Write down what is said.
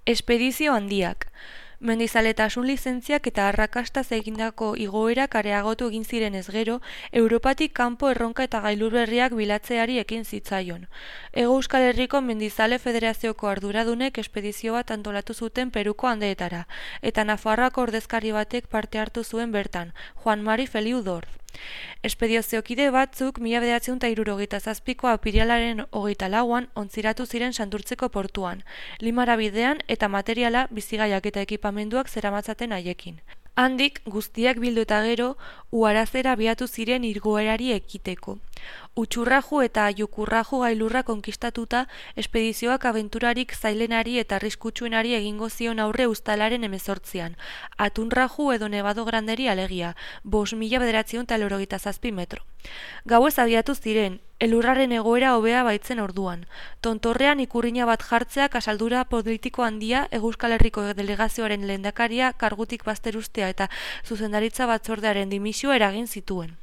Espedizio handiak. Mendizaletasun lizentziak eta arrakastaz egindako igoerak areagotu egin zirenez gero, Europatik kanpo erronka eta gailur berriak bilatzeari ekin zitzaion. Hego Euskal Herriko Mendizale Federazioko arduradunek espedizio bat antolatu zuten Peruko Andeetara, eta Nafarroako ordezkari batek parte hartu zuen bertan, Juan Mari Feliu Dorz. Espediziokide batzuk 1977ko apirilaren 24an ontziratu ziren Santurtziko portuan, Limara bidean eta materiala, bizigaiak eta ekipamenduak zeramatzaten haiekin. Handik, guztiak bildu eta gero, Uharazera abiatu ziren igoerari ekiteko. Utxurraju eta Jukurraju gailurra konkistatuta, espedizioak abenturarik zailenari eta arriskutsuenari egingo zion aurre uztailaren 18an, Atunraju edo Nevado Granderi alegia, 5.987 metro. Gauez abiatu ziren, elurraren egoera hobea baitzen orduan. Tontorrean ikurrina bat jartzeak asaldura politiko handia, Euskal Herriko delegazioaren lehendakaria kargutik bazterustea eta zuzendaritza batzordearen dimisioa eragin zituen.